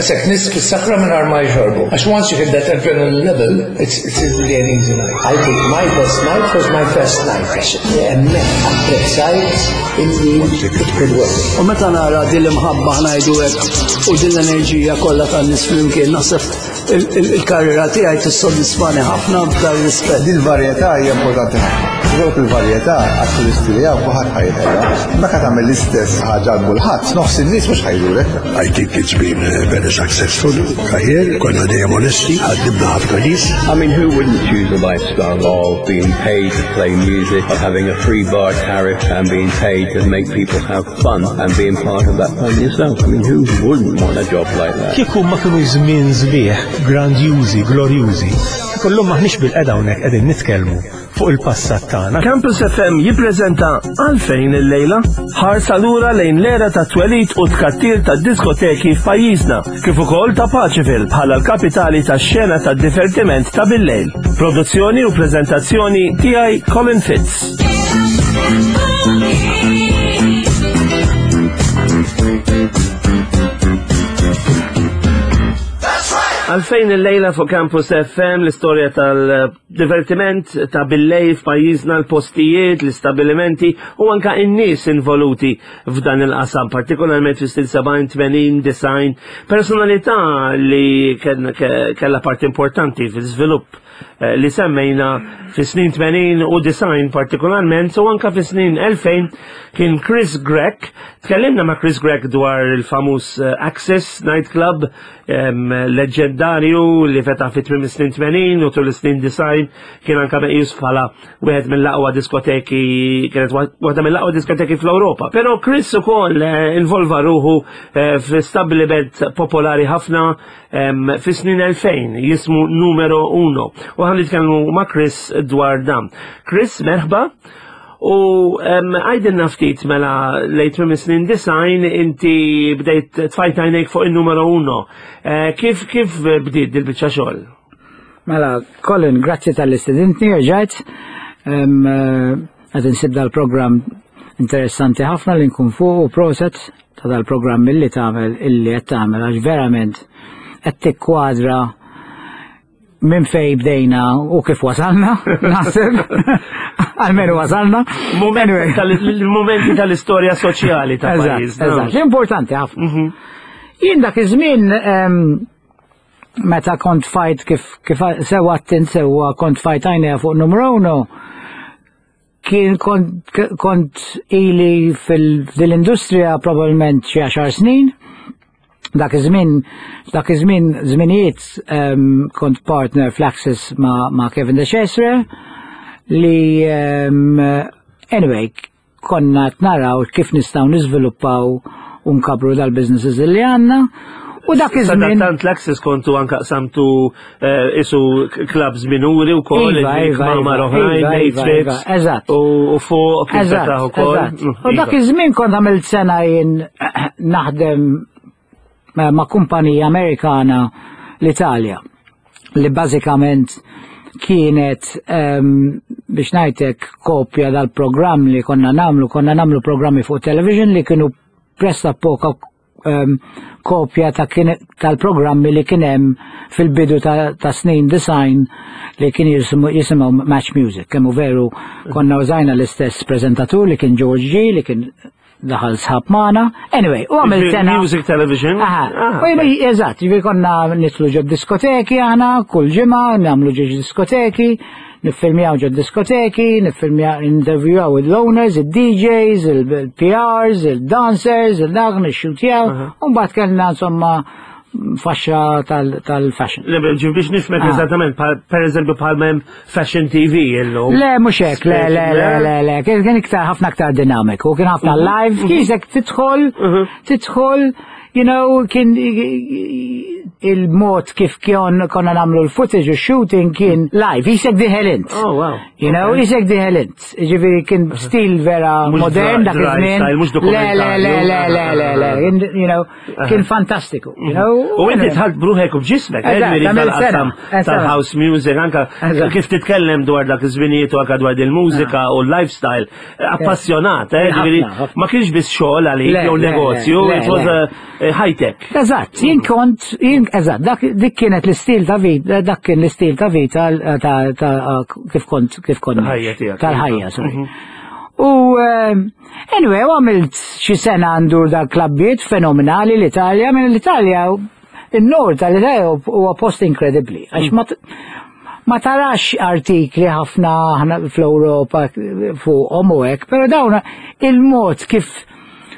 Daqshekk nies fis-sakra mingħajr ma jxorbu. Għax once you hit that adrenaline level, it's, it's really an easy night. I think my best night was my first night. Għax hemmhekk apprezzajt illi it could work. U meta nara din l-imħabba ngħidu hekk u din l-enerġija kollha tan-nies flimkien naħseb il-karriera tiegħi tissodisfani ħafna f'dan rispett. Din varjetà hija importanti ħafna. Dawk il-varjetà għat-turisti li hawn kulħadd ħajħela. Meta tagħmel l-istess ħaġa għal kulħadd, nofs in-nies mhux ħajdurek. I think it's been very successful career, konna dejjem onesti, ħaddibna ħafna nies. I mean, who wouldn't choose a lifestyle of being paid to play music, of having a free bar tariff and being paid to make people have fun and being part of that fun yourself. I mean, who wouldn't want a job like that? Kieku ma kienu żmien sbieħ, grandjużi, glorjużi, kullum maħniex bil-qeda hawnhekk qegħdin nitkellmu fuq il-passat tagħna. Campus FM jippreżenta għalfejn illejla ħarsa lura lejn l-era ta' twelid u tkattir ta' diskoteki f'pajjiżna, kif ukoll ta' Paċeville bħala l-kapitali tax-xena ta' divertiment ta' billejl. Produzzjoni u preżentazzjoni tiegħi Colin Fitz. Għalfejn il-lejla fuq Campus FM l-istorja tal-divertiment ta' billej f'pajjiżna l-postijiet, l-istabilimenti u anka in-nies involuti f'dan il-qasam, partikolarment fi stil 70, 80, design, personalità li kella parti importanti fil-żvilupp eh, li semmejna fi snin 80 u design partikolarment u anka fi snin 2000 kien Chris Grech. Tkellimna ma' Chris Grech dwar il-famuż eh, Access Nightclub leġendarju li fetaħ fi tmiem snin 80 u tul is-snin design kien anka meqjus bħala wieħed mill-aqwa diskoteki kienet waħda mill-aqwa diskoteki fl-Ewropa. Però Chris ukoll eh, involva ruħu f'stabbiliment popolari ħafna fi snin 2000 jismu numero 1 u ħan nitkellmu ma' Chris dwar dan. Chris, merħba. U għajdilna ftit mela lejt minn snin design inti bdejt tfajt għajnejk fuq il-numero 1. Eh, kif kif bdiet dil-biċċa xogħol? Mela, Colin, grazzi tal-istudentni, rġajt. Eh, qed insib dal-programm interessanti ħafna li nkun fuq u proset ta' dal-programm illi tagħmel illi qed tagħmel għax verament qed tikkwadra minn fej bdejna u kif wasalna, naħseb, għalmenu wasalna. Momenti tal-istorja soċjali ta' pajjiż. Eżatt, importanti ħafna. Mhm. Jien dak iż-żmien meta kont fajt kif kif sewa attint sewa kont fajt għajnejha fuq numru uno, kien kont, kont ili fil-industrija probabbilment xi għaxar snin. Dak iż-żmien, dak iż-żmien żminijiet um, kont partner fl-Access ma, ma' Kevin De Cesare li um, anyway konna qed naraw kif nistgħu niżviluppaw u nkabru dal-businesses li għandna. U dak iż-żmien. Tant l-Access kontu anka qsamtu eh, isu clubs minuri u koll, Iva, iva, mamar iva, oħrajn, iva, day iva, trips. iva, eżatt. U fuq kif Eżatt, fetaħ ukoll. eżatt. Mm, U dak iva. iż-żmien kont għamilt sena jien naħdem eh, ma' kumpanija Amerikana l-Italja li bażikament kienet ehm, biex ngħidlek kopja dal-programm li konna namlu, konna namlu programmi fuq television li kienu pressa poka ehm, kopja ta' tal-programmi li kien hemm fil-bidu ta', ta snin design li kien jisimgħu Match Music. Kemm veru konna użajna l-istess prezentatur li kien George G li kien daħal sħab magħna. Anyway, u għamil sena. Music television. Aha. Ah, eżatt, ġifieri konna nitlu ġod diskoteki aħna kull ġimgħa nagħmlu ġiex diskoteki, niffilmjaw ġod diskoteki, niffilmjaw interviewaw il-owners, il-DJs, il-PRs, il-dancers, il-dak, nixxutjaw, u mbagħad kellna insomma faxxa tal-fashion. Le, biex nifmek ah. eżattament, per eżempju bħal mem Fashion TV illum. Le, mhux hekk, le, le, le, le, le, kien iktar ħafna aktar dinamiku, kien ħafna mhm. live, mhm. kiesek tidħol, mhm. tidħol, you know, kien il-mod kif kien konna nagħmlu l-footage u shooting kien live, jisek diħel int. Oh, wow. You know, jisek diħel int. Ġifieri kien stil vera modern dak iż-żmien. Le, le, le, le, le, le, le, you know, kien fantastiku. You know? U inti tħalt bruħek u b'ġismek, eh, tal-qasam tal-house music, anka kif titkellem dwar dak iż-żminijiet u anka dwar il-mużika u l-lifestyle, appassjonat, eh, ġifieri ma kienx biss xogħol għalik jew negozju, it was a high tech. Eżatt, jien kont, jien eżatt, dak dik kienet l-istil ta' vita, dak kien l-istil ta' vita ta' kif kont kif kont. Tal-ħajja, sorry. Mhm. U eh, anyway, għamilt xi sena għandu dak klabbiet fenomenali l-Italja, minn l-Italja il-nord tal-Italja huwa post inkredibbli. Għax mm. ma ma tarax artikli ħafna fl-Ewropa fuqhom u hekk, però dawn il-mod kif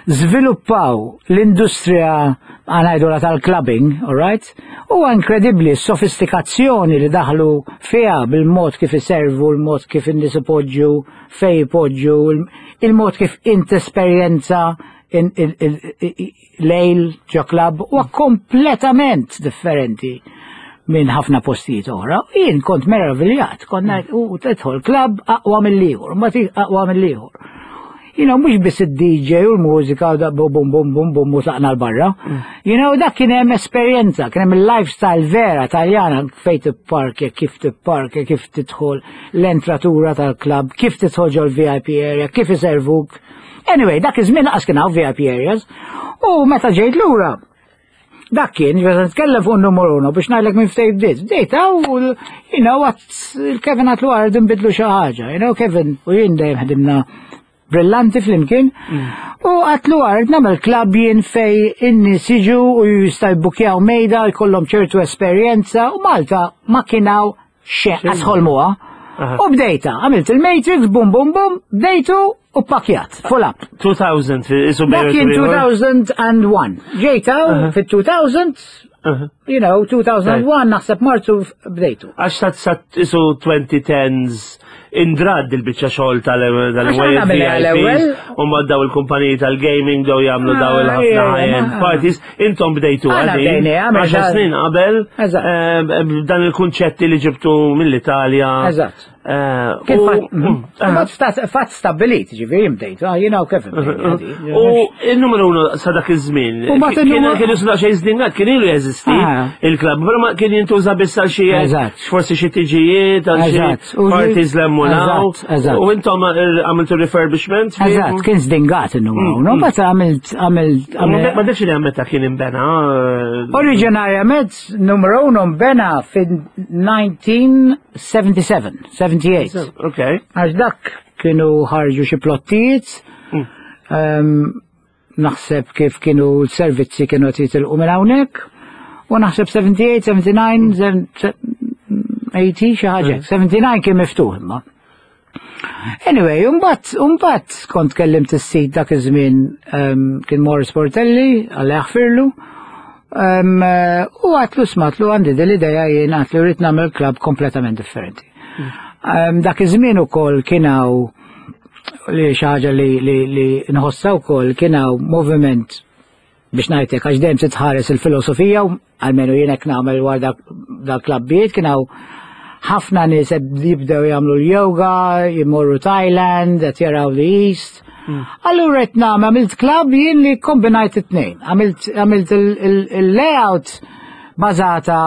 żviluppaw l-industrija għanajdula tal-clubbing, all right? Huwa inkredibbli s-sofistikazzjoni li daħlu fiha bil-mod kif iservu, il-mod kif in-nies ipoġġu, fej ipoġġu, il-mod kif int esperjenza lejl ġo club huwa kompletament differenti minn ħafna postijiet oħra. Jien kont meraviljat, kont ngħid u tidħol club aqwa mill-ieħor, ma aqwa mill-ieħor. You know, mhux biss id-DJ u l-mużika u da bum bum bum bum bum u tlaqna l-barra. Mm. You know, dak kien hemm esperjenza, kien hemm il-lifestyle vera Taljana fejn tipparkja, kif tipparkja, kif tidħol l-entratura tal-klabb, kif tidħol ġol VIP area, kif iservuk. Anyway, dak iż-żmien laqas kien hawn VIP areas. U meta ġejt lura, dak kien, ġveza nitkellem fuq numru uno biex ngħidlek minn ftejt bdiet. Bdejt hawn, you know, il-Kevin għatlu għard nbidlu xi ħaġa. You know, Kevin u jien dejjem ħdimna brillanti flimkien. Mm. U għatlu għard nagħmel klabb jien fej in-nies jiġu u jista' jbukjaw mejda jkollhom ċertu esperjenza u Malta ma kienaw xejn għasħolmuha. U bdejta, għamilt il-Matrix, bum bum bum, bdejtu u pakjat, full up. 2000, isu Dak kien 2001. Ġejta fit-2000, you know, 2001 naħseb Marzu bdejtu. Għax sat sat isu 2010s indrad il-biċċa xogħol tal-ewwel u ma daw il-kumpaniji tal-gaming daw jagħmlu daw ah, il-ħafna high-end parties, intom bdejtu għadin. Għaxa snin qabel eh, dan il-kunċetti li ġibtu mill-Italja. Eżatt. Eh, Kien fatt mhm. stabbilit, ġifieri bdejt, ah, jiena u kif. U il-numru uno sa dak iż-żmien. Kien kien jisna xejn żdingat, kien ilu jeżisti ah. il-klabb, però ma kien jintuża biss għal xi forsi xi tiġijiet, għal xi parties lemmunaw. U intom eh, għamiltu refurbishment? Eżatt, kien żdingat il-numru uno, mm. mbagħad għamilt għamilt. Ma nafx li meta kien imbena. Eh, Oriġinarjament Numru uno mbena fin-1977, 78. Ok. Għax dak kienu ħarġu xi plottijiet, mm. ehm, naħseb kif kienu l-servizzi kienu qed jitilqu minn hawnhekk, u naħseb 78, 79, 80 xi ħaġa. 79 kien miftuħ imma. Anyway, umbat, umbat kont kellimt is-sid dak iż-żmien um, kien Morris Portelli, għalla jaħfirlu, um, u għatlu smatlu għandi dil-ideja jien għatlu rrid nagħmel klabb kompletament differenti. Um, dak iż-żmien ukoll kien hawn li xi ħaġa li, li, li nħossa wkoll kien hawn moviment biex ngħidlek għax dejjem titħares il-filosofija u almenu jien hekk nagħmel wara dak klabbijiet kien hawn ħafna nies qed jibdew jagħmlu l-yoga, jmorru Thailand, qed jaraw the East. Hmm. Allura qed nagħmel għamilt klabb jien li kombinajt it-tnejn. Għamilt il-layout bażata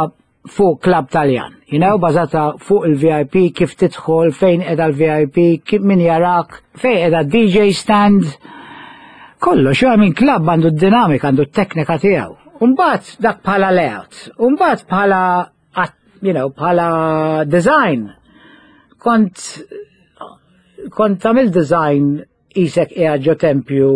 fuq klab Taljan, you know, bażata fuq il-VIP, kif tidħol, fejn edha l-VIP, kif min jarak, fejn edha DJ stand, kollox, I mean, klab għandu d-dinamika, għandu t-teknika tiegħu. Umbat dak bħala layout, umbat bħala, you know, bħala design. Kont, kont għamil design Isek qiegħed ġo tempju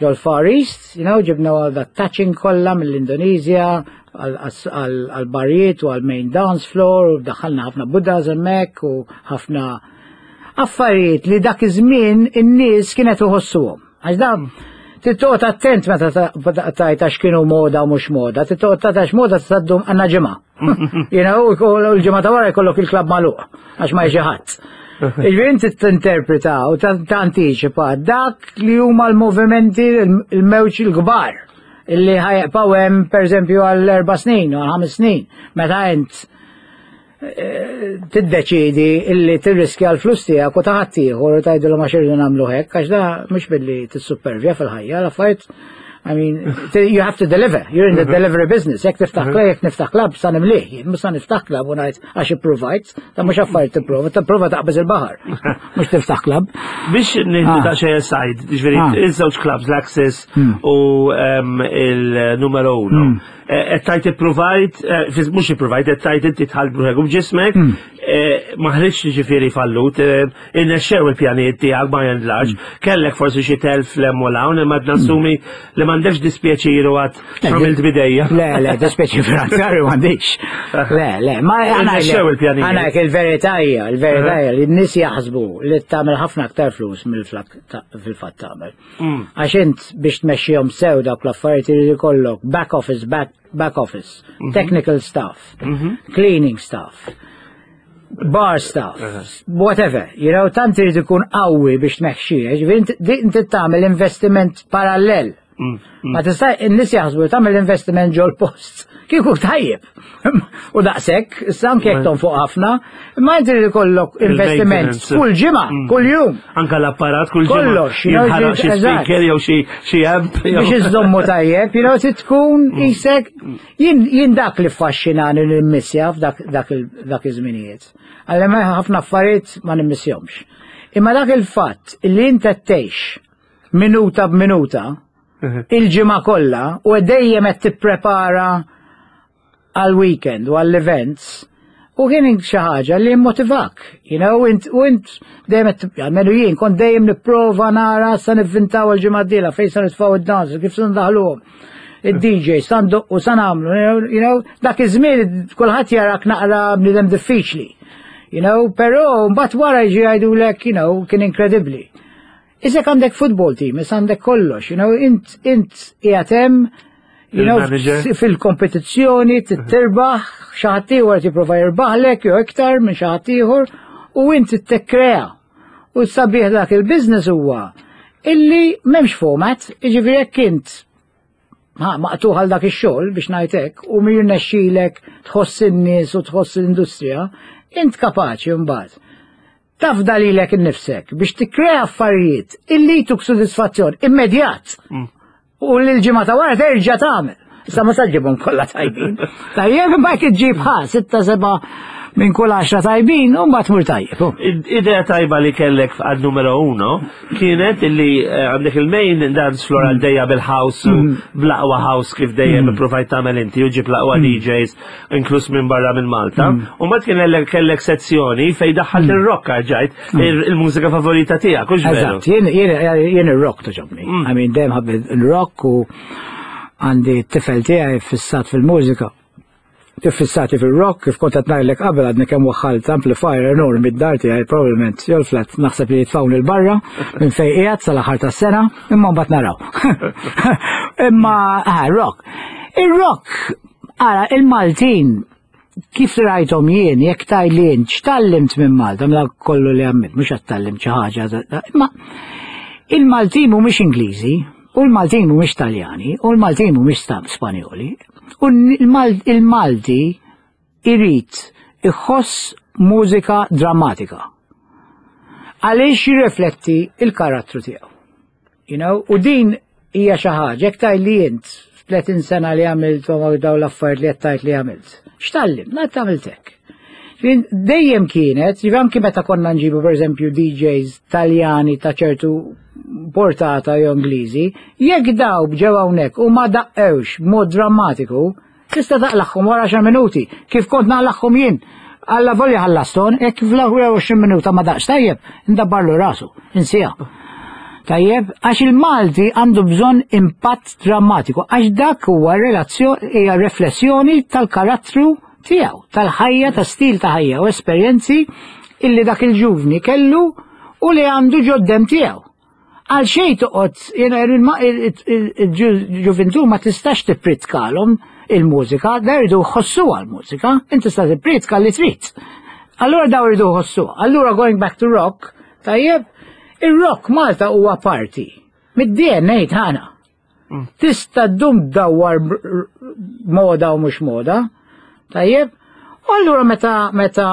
ġol-Far East, you know, ġibna għal dat touching kollha mill-Indonesia, għal-barijiet u għal-main dance floor, u daħħalna ħafna Buddhas hemmhekk u ħafna affarijiet li dak iż-żmien in-nies kienet iħossuhom. Għax dan tittoqgħod attent meta tajt għax kienu moda u mhux moda, tittoqgħod għax moda tgħaddum għandna ġimgħa. You know, l-ġimgħa ta' wara jkollok il-klabb magħluq għax ma jiġi ħadd. Iġifieri inti tinterpreta u tantiċipa dak li huma l-movimenti il-mewġ il-kbar. Illi ħa jibqgħu hemm pereżempju għal 4 snin u għal 5 snin. Meta int tiddeċidi illi tirriskja l-flus tiegħek u ta' ħaddieħor u tgħidilhom għax irridu nagħmlu hekk, għax da mhux billi tissupervja fil-ħajja, l-affarijiet, I mean, you have to deliver. You're in the delivery business. Jekk tiftaħ club, jekk niftaħ club, sa nimlih. Jien mhux sa niftaħ club u ngħid għax ipprovajt, ta' mhux affarijiet tipprova, tipprova taqbeż il-baħar. Mhux tiftaħ club. Biex nieħdu daqsxejn aside, ġifieri iż-żewġ clubs, l-Axis u il-Numero Uno. Qed tgħid ipprovajt, mhux ipprovajt, qed tgħid inti dħalt b'ruħek u b'ġismek, ma ħriġx ġifieri fallut, irnexxew il-pjanijiet tiegħek by and large, kellek forsi xi telf 'l hemm u 'l hawn, imma nassumi li m'għandekx dispjaċir u għad għamilt bidejja. Le, le, dispjaċir finanzjarju m'għandix. Le, le, ma Irnexxew il-pjanijiet. Għana il-verità hija, il-verità hija li n-nies jaħsbu li tagħmel ħafna aktar flus mill-flak fil-fatt tagħmel. Għax int biex tmexxihom sew dawk l-affarijiet irid ikollok back office, back, back office, technical staff, cleaning staff, bar staff, whatever, tant irid ikun qawwi biex tmexxih, ġifieri inti tagħmel investiment parallel. Ma tista' in-nies jaħsbu li tagħmel investiment ġol post. Kieku tajjeb. U daqshekk, issa anke jekk tonfoq ħafna, imma inti irid ikollok investiment Il-maintenance. kull ġimgħa, kull jum. Anka l-apparat kull ġimgħa. Kollox, Jinħaraq xi speaker jew xi amp. Biex iżommu tajjeb, trid tkun isek jien dak li ffaxxinani nimmissja f'dak dak iż-żminijiet. Għalli ma ħafna affarijiet ma nimmissjomx. Imma dak il-fatt li inti tgħix minuta b'minuta il-ġimgħa kollha u dejjem qed tipprepara għal-weekend u għall-events u kien xi ħaġa li motivak, int u int dejjem qed almenu jien kont dejjem nipprova nara sa nivvintaw il-ġimgħa d-dieħla fejn sa nitfgħu id-dance, kif se ndaħluhom. Id-DJ, sa ndoqqu, sa nagħmlu, dak iż-żmien kulħadd jarak naqra bniedem diffiċli. Però mbagħad wara jiġi jgħidulek, kien inkredibbli. Isek għandek football team, issa għandek kollox, int qiegħed hemm, Il-manager. fil-kompetizzjoni tirbaħ, xi ħadd ieħor jipprova jirbaħlek jew iktar minn xi ħadd ieħor u inti tikkrea. U sabiħ dak il-business huwa illi m'hemmx format, jiġifieri jekk int maqtuħ għal dak ix-xogħol biex ngħidlek u mir nexxilek tħoss in-nies u tħoss l-industrija, int kapaċi mbagħad tafda lilek innifsek biex tikkrea affarijiet illi jtuk sodisfazzjon immedjat. U l-ġimgħa ta' wara terġa' tagħmel. Issa ma ġġibhom kollha tajbin. Tajjeb imma jekk iġġib ħa sitta seba' minn kull 10 tajbin u mbagħad tmur tajjeb. Oh. Idea tajba li kellek għal Numero Uno kienet illi għandek il-main dance floor għaddejja bil-house u bl-aqwa house kif dejjem provajt tagħmel inti u ġib l-aqwa DJs inkluż minn barra minn Malta. U mbagħad kien kellek sezzjoni fejn daħħalt ir-rock ġajt il-mużika favorita tiegħek, hux veru? Eżatt, jien ir-rock togħġobni. I mean, dejjem ħabbejt il-rock u għandi t-tifel tiegħi fissat fil-mużika. Fissati fil-rock, kif kont qed ngħidlek qabel għadni kemm waħħalt amplifier enormi d-dar tiegħi probabbilment jew flat naħseb li jitfawni 'l barra minn fejn qiegħed sal-aħħar tas-sena, imma mbagħad naraw. Imma rock. Ir-rock, ara, il-Maltin kif rajthom jien, jekk tgħidli int, x'tgħallimt minn Malta, minn dak kollu li għamilt, mhux qed tgħallimt xi ħaġa, imma il-Maltin mhumiex Ingliżi, u l-Maltin mhumiex Taljani, u l-Maltin mhumiex Spanjoli, u il-Malti irid iħoss mużika drammatika. Għaliex jirrifletti il-karattru tiegħu. U din hija xi ħaġa, jekk tgħidli int f'30 sena li għamilt u dawn l-affarijiet li qed tgħid li għamilt. X'tgħallimt? Ma għamilt hekk. Dejjem kienet, ġifieri anki meta konna nġibu pereżempju DJs Taljani ta' ċertu portata jew Ingliżi, jekk daw ġew hawnhekk u ma daqqewx b'mod drammatiku, tista' taqlagħhom wara 10 minuti, kif kont naqlagħhom jien. Alla volja ħallaston, jekk fl-ewwel 20 minuta ma daqx tajjeb, ndabbarlu rasu, insija. Tajjeb, għax il-Malti għandu bżonn impatt drammatiku, għax dak huwa relazzjoni hija riflessjoni tal-karattru tiegħu, tal-ħajja, ta' stil ta' ħajja u esperjenzi illi dak il-ġuvni kellu u li għandu ġod-demm tiegħu. Għal xejn toqgħod jiena il-ġuvintu ma tistax tippritkalhom il-mużika, da jridu jħossuha l-mużika, inti tista' tippritka li trid. Allura daw jridu jħossuha. Allura going back to rock, tajjeb, ir-rock Malta huwa parti mid-DNA tagħna. Tista' ddum dawwar moda u mhux moda. Tajjeb? U allura meta meta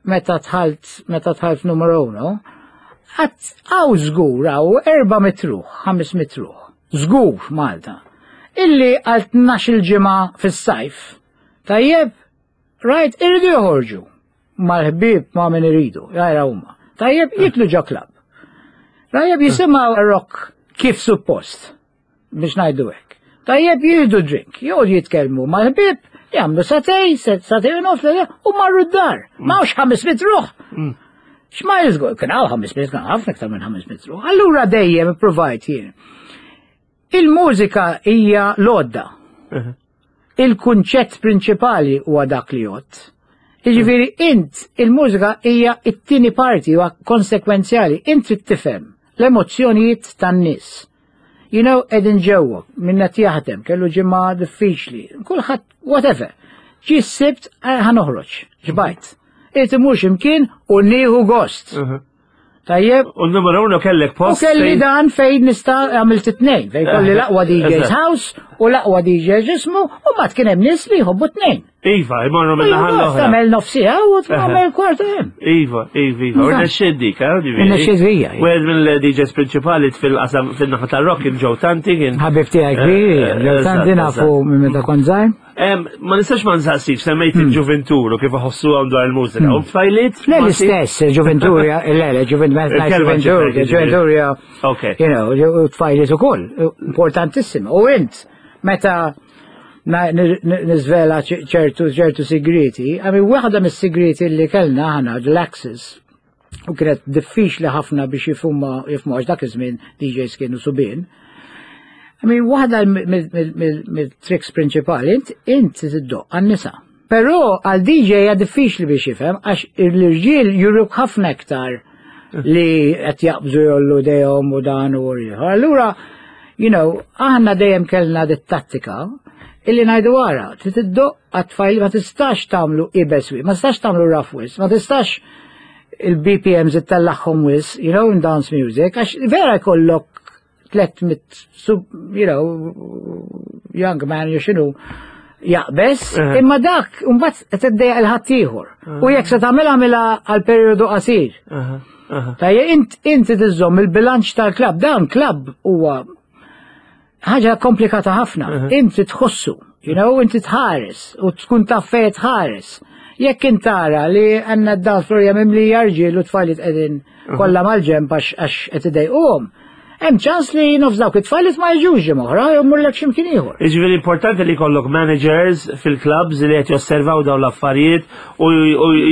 meta dħalt meta dħalt numru uno, għat għaw żgur għaw 400 ruħ, 500 ruħ, żgur f'Malta, illi għal 12 ġimgħa fis-sajf. Tajjeb, right, irridu joħorġu mal-ħbieb ma' min iridu, jajra huma. Tajjeb, jitlu ġo club. Tajjeb jisimgħu rock kif suppost biex ngħidu hekk. Tajjeb jieħdu drink, joqgħodu jitkellmu mal-ħbieb, jagħmlu satej, satej u nofs, u marru d-dar. Ma hawnx 500 ruħ. X'ma jiżgur, kien hawn 500, kien ħafna iktar minn 500 ruħ. Allura dejjem ipprovajt jien. Il-mużika hija l-għodda. Il-kunċett prinċipali huwa dak li jgħodd. Jiġifieri int il-mużika hija t-tieni parti huwa konsekwenzjali, int trid tifhem l-emozzjonijiet tan-nies. You know, qegħdin ġewwa, minn qed jaħdem, kellu ġimgħa diffiċli, kulħadd whatever. Ġie s-Sibt eh, ħa noħroġ, ġbajt. Irid imur x'imkien u nieħu gost. Tajjeb. U n-numru uno kellek post. U kelli dan fejn nista' għamilt it-tnejn, fejn kolli eh, l-aqwa DJ's house u l-aqwa DJ ġismu u mat kien hemm nies li jħobbu tnejn. Iva, imorru minn naħa l-oħra. Tagħmel nofsija u tagħmel kwarta hemm. Iva, iva, iva. U nexxeddik, eh, ġifieri. Nexxedija. Wieħed mill-DJs prinċipali fil-qasam fin-naħa tar-rock kien Joe Tanti kien. Ħabib tiegħi kbir, eh, Joe Tanti nafu minn meta kont żgħir. Ma nistax ma nsaqsix, semmejt hmm. il-ġuventur u kif iħossu għam dwar il-mużika. U tfajliet? Le l-istess, il-ġuventur, le, le, ġuventur, ġuventur, you know, u tfajliet ukoll, importantissima. U int, meta nizvela ċertu ċertu sigriti, għami waħda mis-sigriti li kellna ħana, l-Axis, u kienet diffiċli ħafna biex jifhmu jifhmu għax dak iż-żmien DJs kienu subien. I mean, waħda mill-tricks prinċipali, int int tiddoq għan-nisa. Però għal DJ hija diffiċli biex jifhem għax l-irġiel juruk ħafna iktar li qed jaqbżu jollu dejhom u dan u ieħor. Allura, you know, aħna dejjem kellna dit-tattika illi ngħidu wara, trid iddoq għat-tfajl ma tistax tagħmlu ibes ma tistax tagħmlu rough wis, ma tistax il-BPMs ittellagħhom wis, you know, in dance music, għax vera jkollok 300 sub, you know, young man jew xinu jaqbes, imma dak mbagħad qed iddejjaq il-ħaddieħor. U jekk se tagħmilha għamilha għal perjodu qasir. Tajja int inti tiżomm il-bilanċ tal-klabb, dan klabb huwa ħaġa komplikata ħafna. Inti tħossu, you know, inti tħares u tkun taf fejn tħares. Jekk intara li għandna d-dance floor hija mimlija rġiel u tfajliet qegħdin kollha mal-ġenb għax qed idejquhom, hemm ċans li nofs dawk it-tfajliet ma jiġux ġimgħa oħra jew mmurlek x'imkien ieħor. Jiġifieri importanti li jkollok managers fil-clubs li qed josservaw dawn l-affarijiet u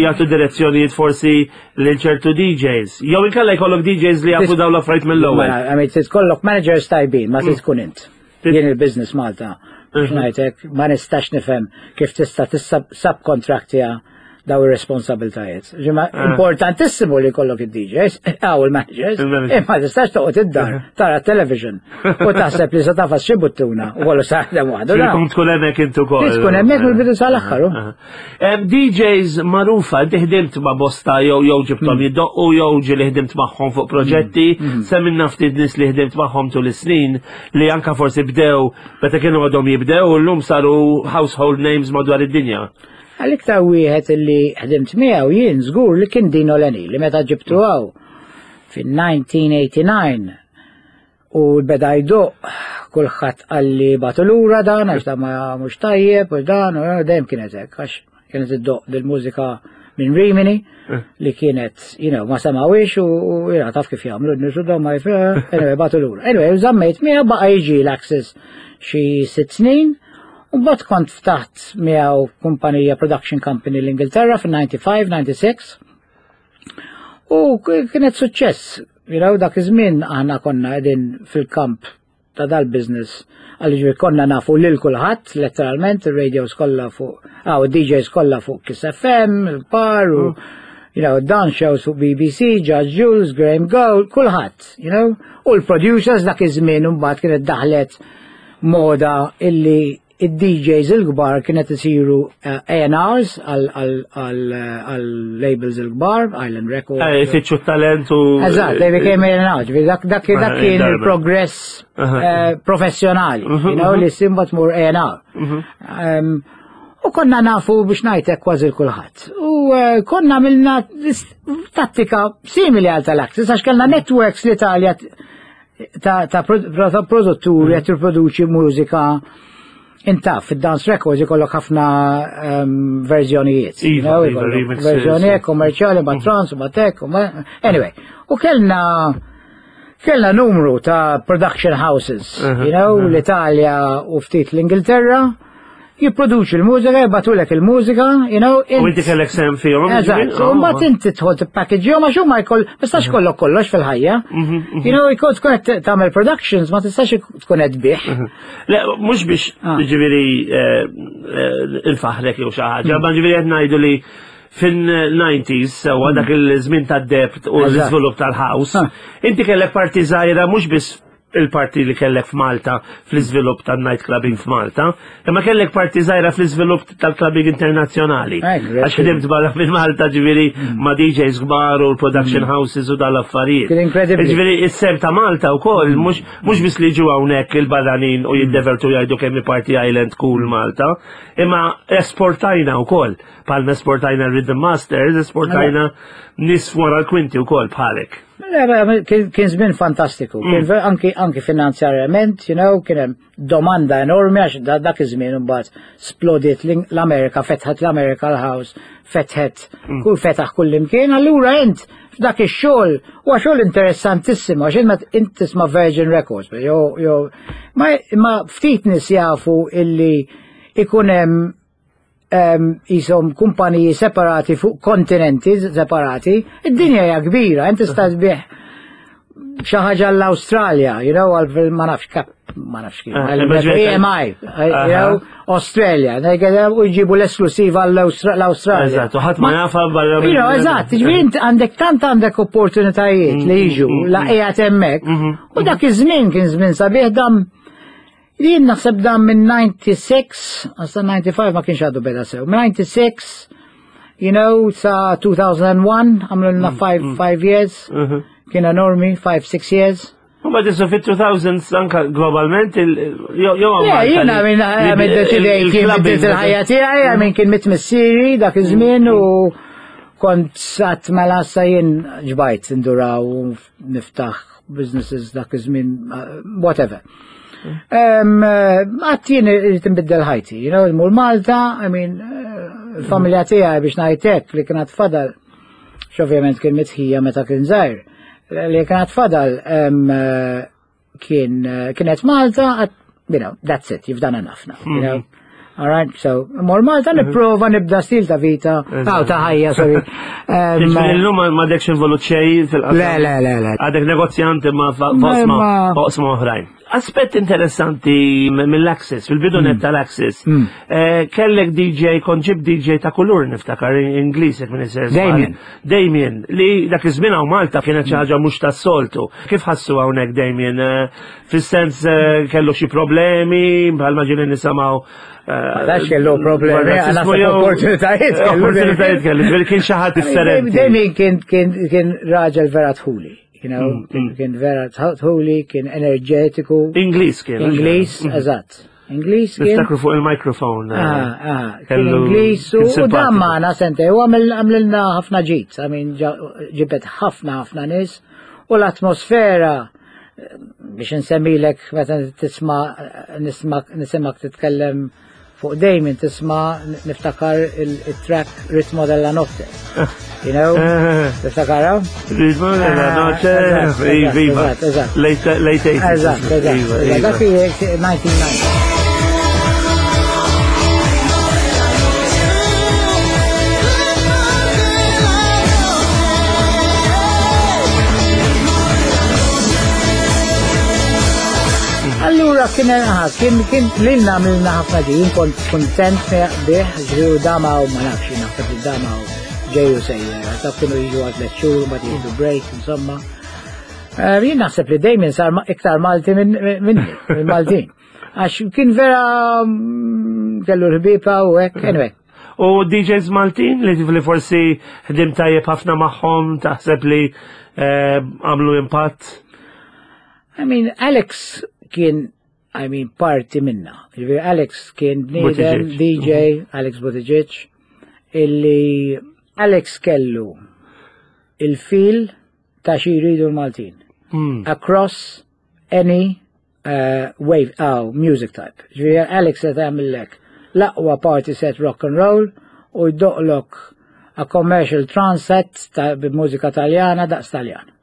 jagħtu direzzjonijiet forsi lil ċertu DJs. Jew inkella jkollok DJs li jafu dawn l-affarijiet mill-ewwel. Mela, għamil trid kollok managers tajbin, ma trid tkun int. Jien il-business Malta, biex ngħidlek, ma nistax nifhem kif tista' tissubcontractja daw ir-responsabiltajiet. Ġimma ah. importantissimu li jkollok id-DJs, għaw il-managers, imma tistax toqgħod id-dar tara television u taħseb li se tafas xi buttuna u kollu saħdem waħdu. Tkun tkun hemmhekk intu ukoll. Tkun hemmhekk mill-bidu sal-aħħar. DJs magħrufa, inti ħdimt ma' bosta jew jew ġibthom hmm. jiddoqqu jew ġieli ħdimt magħhom fuq proġetti, hmm. semminna ftit nies li ħdimt magħhom tul is-snin li anka forsi bdew meta kienu għadhom jibdew u llum saru household names madwar id-dinja. Għal-iktar wieħed li ħdimt miegħu jien żgur li kien Dino Leni li meta ġibtu hawn fin-1989 U beda jdoqq, kulħadd qalli bagħtu lura dan għax dan ma mhux tajjeb u dan u dejjem kienet hekk għax kienet iddoqq dil-mużika minn Rimini eh. li kienet, you know, ma semawix u you know, taf kif jagħmlu n-nies u ma jif, eh, anyway, bagħtu lura. Anyway, żammejt miegħu baqa' jiġi l-Access xi sitt snin u mbagħad kont ftaħt miegħu kumpanija production company l-Ingilterra fin-95, 96. U kienet suċċess, you know, dak iż-żmien aħna konna qegħdin fil-kamp ta' dal-business għalli konna nafu lil kulħadd, letteralment, il-radios kollha fuq, għaw, DJs kollha fuq Kiss FM, il-par, u, mm. you know, dance shows fuq BBC, Judge Jules, Graham Gold, kulħadd, you know, u l-producers dak iż-żmien mbagħad kienet daħlet moda illi id-DJs il-kbar kienet isiru A&Rs għal-labels il-kbar, Island Records. Ifittxu talent u. Eżatt, they became A&Rs, dak kien il-progress professjonali, you know, li simba tmur A&R. U konna nafu biex ngħidlek kważi kulħadd. U konna għamilna tattika simili għal tal-Access għax kellna networks l-Italja ta' produtturi qed jipproduċi mużika intaf, fid-dance records ikollok ħafna verżjonijiet. Iva, iva, remixes. Verżjoni kommerċjali, ma' trance, ma' tech, anyway. U kellna kellna numru ta' production houses, you know, l-Italja u ftit l-Ingilterra, jipproduċi l-mużika, jibagħtulek il-mużika, you know. U inti kellek sehem fihom. Eżatt, u mbagħad inti tidħol tippackage għax huma jkoll, ma tistax kollok kollox fil-ħajja. You know, jkun tkun qed tagħmel productions, ma tistax tkun qed bih. Le, mhux biex ġifieri il-faħrek jew xi ħaġa, ma ġifieri qed ngħidu li fin-90s, sewwa dak il-żmien tad-debt u l-iżvilupp tal-house, inti kellek parti żgħira mhux biss il-parti li kellek f'Malta fl-iżvilupp tan-night clubbing f'Malta, imma kellek parti żgħira fl-iżvilupp tal-clubbing internazzjonali. Għax ħdimt barra minn Malta ġifieri ma' DJs kbar u l-production houses u dal-affarijiet. Kien incredible. Ġifieri is-sehem ta' Malta wkoll mhux biss li ġu hawnhekk il-barranin u jiddevertu jgħidu kemm Party Island cool Malta, imma esportajna wkoll. Palma esportajna Rhythm Masters, esportajna nies wara l-kwinti wkoll bħalek. Kien żmien fantastiku, kien anki finanzjarjament, you know, kien hemm domanda enormi għax dak iż-żmien imbagħad splodiet l-Amerika, fetħet l-Amerika l-house, fetħet kull fetaħ kull imkien, allura int f'dak ix-xogħol huwa xogħol interessantissimu għax int int tisma' Virgin Records, jew ma ftit nies jafu illi ikun hemm jisom kumpaniji separati fuq kontinenti separati, id-dinja hija kbira, inti tista' tbigħ xi ħaġa l-Awstralja, you know, għal ma nafx kap, ma nafx kif, EMI, you know, Australia, u jġibu l-esklusiva l-Awstralja. Eżatt, u ħadd ma jafa barra. You know, eżatt, ġifieri int għandek tant għandek opportunitajiet li jiġu la qiegħed hemmhekk, u dak iż-żmien kien żmien sabiħ dam Jien naħseb dan minn 96, għasta 95 ma kienx għadu beda sew, minn 96, you know, sa 2001, għamlu 5 years, kien enormi, 5-6 years. U ma tisu fit-2000s anka globalment, jew Le, jiena minn għamil deċidejt kien bdiet il-ħajja tiegħi, għamil kien mit missieri dak iż-żmien u kont sat mela sa jien ġbajt nduraw u niftaħ businesses dak iż-żmien, whatever. Għat jien irrid nbiddel ħajti, you know, mur Malta, I mean, il-familja tiegħi biex ngħidlek li kienet fadal, x'ovvjament kien mitħija meta kien żgħir, li kienet fadal kienet Malta, you know, that's it, you've done enough now, you know. All right, so, mor Malta nipprova nibda stil ta' vita, aw ta' ħajja, sorry. Illum m'għadekx involut xejn fil-qasam. Le, le, le, le. Għadek negozjant imma f'oqsma oħrajn. Aspett interessanti mill-Access, fil-bidu net tal-Access. Kellek DJ, kont ġib DJ ta' kulur niftakar, Ingliż jekk minn isir. Damien. Damien, li dak iż-żmien hawn Malta kienet xi ħaġa mhux tas-soltu. Kif ħassu hawnhekk Damien? Fis-sens kellu xi problemi, bħalma ġieli nisimgħu. Ma dax kellu problemi, għana opportunitajiet kellu. Opportunitajiet kellu, ġifieri kien xi ħadd differenti. Damien kien raġel vera dħuli. You know, kien vera dħuli, kien enerġetiku. Ingliż kien. Ingliż, eżatt. Ingliż kien. Niftakru fuq il-mikrofon. Kien Ingliż u dan magħna sente, u għamlilna ħafna ġid, I mean, ġibet ħafna ħafna nies u l-atmosfera biex nsemmilek meta tisma' nisimak titkellem fuq Damien tisma' niftakar il-track Ritmo della Notte. You know? Tiftakara? Ritmo della Notte, viva. Late 80s. Eżatt, eżatt. Dak 1990. Allura kien kien kien lilna għamilna ħafna ġi, kont kontent bih, ġifieri dama u ma nafx naħseb li dama u ġeju sejjer, ta' kienu jiġu għal tliet xhur, ma jieħdu break, insomma. Jien naħseb li dejjem sar iktar Malti minni, minn Maltin. Għax kien vera kellu l-ħbiba u hekk, anyway. U DJs Maltin li li forsi ħdim tajjeb ħafna magħhom taħseb li eh, għamlu impatt? I mean, Alex kien I mean, parti minna. Ġifieri Alex kien bniedem DJ, Alex Buttigieg, illi Alex kellu il-fil ta' xi jridu l-Maltin. Across any wave, oh, music type. Ġifieri Alex se tagħmillek l-aqwa party set rock and roll u jdoqlok a commercial trance set ta' mużika taljana daqs taljan.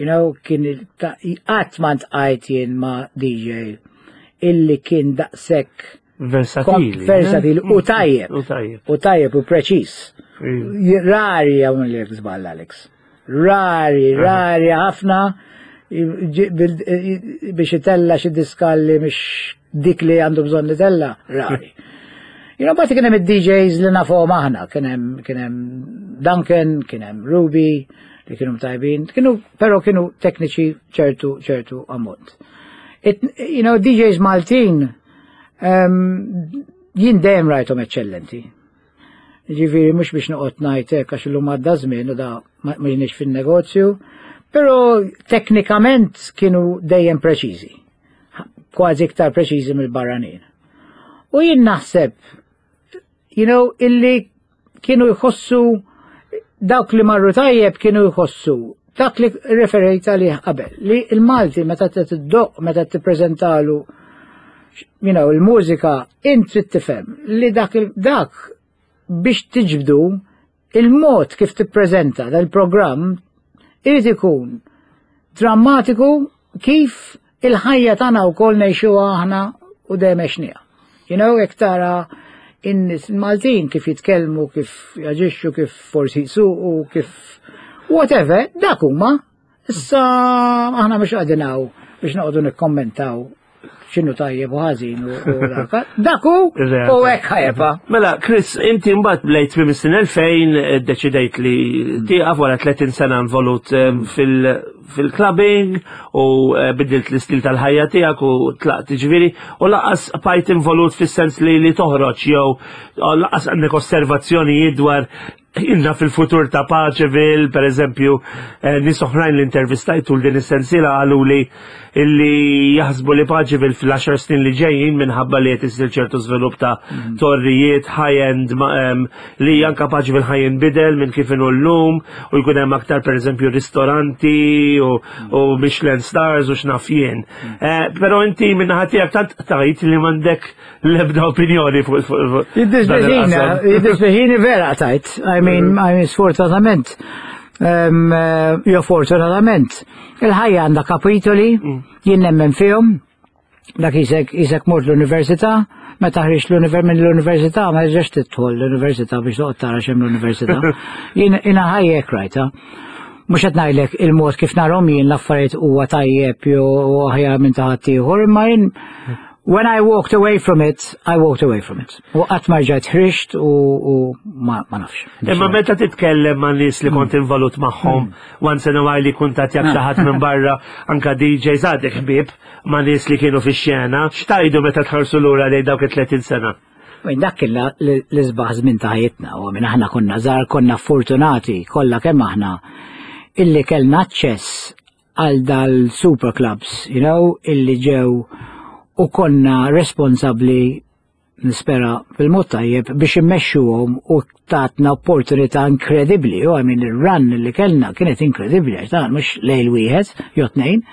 You know, kien qatt ma ntqajt jien ma' DJ illi kien daqshekk versatili. Versatili u tajjeb. U tajjeb. U tajjeb u preċiż. Rari hawn li żball Alex. Rari, rari ħafna biex itella xi diska li mhix dik li għandu bżonn itella, rari. You know, but kien hemm id-DJs li nafhom aħna, kien hemm kien hemm Duncan, kien hemm Ruby, li kienu tajbin, kienu però kienu tekniċi ċertu ċertu ammont. It, you know, DJs Maltin jien dejjem rajthom eċċellenti. Ġifieri mhux biex noqgħod ngħid hekk għax illum għadda żmien u da ma jiniex fin-negozju, però teknikament kienu dejjem preċiżi. Kważi iktar preċiżi mill-barranin. U jien naħseb, you know, illi kienu jħossu dawk li marru tajjeb kienu jħossu dak li referejt għalih qabel, li il-Malti meta tiddoq, meta tippreżentalu you know, il-mużika, int trid tifhem li dak, dak biex tiġbdu il-mod kif tippreżenta dal-programm irid ikun drammatiku kif il-ħajja tagħna wkoll ngħixuha aħna u dejjem għexniha. You know, jekk tara in-nies Maltin kif jitkellmu, kif jaġixxu, kif forsi jsuqu, kif whatever, dak huma. Issa aħna mhux qegħdin hawn biex noqogħdu nikkommentaw x'inhu tajjeb u ħażin u dak. Dak hu u hekk ħajba. Mela, Chris, inti mbagħad lejt tmiem is-sena 2000 ddeċidejt li tieqaf wara 30 sena involut fil-clubbing u bidilt l-istil tal-ħajja tiegħek u tlaqt ġifieri u laqas bqajt involut fis-sens li li toħroġ jew laqas għandek osservazzjonijiet dwar Inna fil-futur ta' Paċeville, per eżempju, nies oħrajn li intervistajt tul din is-sensiela qalu li illi jaħsbu li Paċeville fil-10 snin li ġejjin minħabba li qed isir ċertu żvilupp ta' torrijiet high-end li anka Paċeville ħa jinbidel minn kif inhu llum u jkun hemm aktar per eżempju ristoranti u Michelin stars u x'naf jien. Però inti min-naħa tiegħek tant qtajt li m'għandek l-ebda opinjoni fuq Jiddispjaċini vera tajt. I mean, I mean, sfortunatament, jo fortunatament, il-ħajja għandha kapitoli, jien nemmen fihom, dak isek isek mort l-università, meta ħriġt l-univer minn l-università, ma ġex tidħol l-università biex toqgħod tara x'hemm l-università. Jien jiena ħajja hekk rajta. Mhux qed ngħidlek il-mod kif narhom jien l-affarijiet huwa tajjeb jew aħjar minn ta' ħaddieħor, imma jien when I walked away from it, I walked away from it. U qatt ma rġajt ħriġt u ma nafx. Imma meta titkellem ma' nies li kont involut magħhom, once in a while li kuntattjak xi ħadd minn barra, anka DJs għadek ħbieb ma' nies li kienu fix-xena, x'tgħidu meta tħarsu lura lejn dawk it-30 sena? Minn dak kien l-isbaħ żmien ta' ħajjitna, u minn aħna konna żgħar, konna fortunati kollha kemm aħna illi kellna aċċess għal dal-super clubs, you know, illi ġew u konna responsabbli nispera bil-mod tajjeb biex immexxuhom u tatna opportunità inkredibbli, u I mean ir-run li kellna kienet inkredibbli, għax dan mhux lejl wieħed jew tnejn.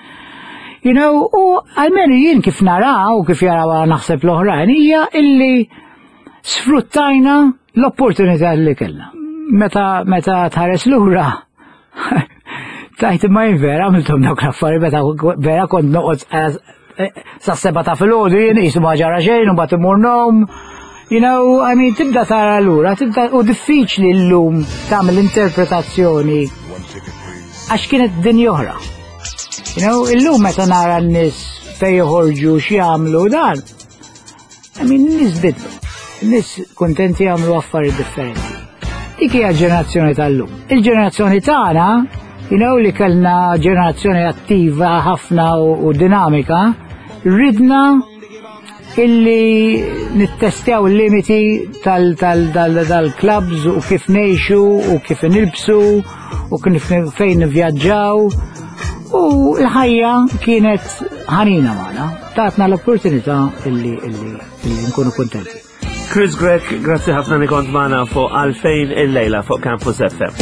You know, u almenu jien kif nara u kif jaraw naħseb l-oħrajn hija illi sfruttajna l-opportunità li kellna. Meta meta tħares lura tajt imma jien vera għamilthom dawk l-affarijiet meta vera kont noqgħod sa seba ta' filgħodu jien qisu ma ġara xejn u mbagħad immur nom. You know, I mean, tibda tara lura, tibda u diffiċli llum tagħmel interpretazzjoni għax kienet dinja oħra. You know, illum meta nara n-nies fejn joħorġu x'jagħmlu dan. I mean, n-nies bidlu. N-nies kuntenti jagħmlu affarijiet differenti. Dik hija ġenerazzjoni tal-lum. Il-ġenerazzjoni tagħna, you know, li kellna ġenerazzjoni attiva ħafna u dinamika, ridna illi nittestjaw il-limiti tal-clubs u kif ngħixu u kif nilbsu u kif fejn nivvjaġġaw u l-ħajja kienet ħanina magħna, tatna l-opportunità illi illi nkunu kuntenti. Chris Grech, grazzi ħafna li kont magħna fuq għalfejn il-lejla fuq Campus FM.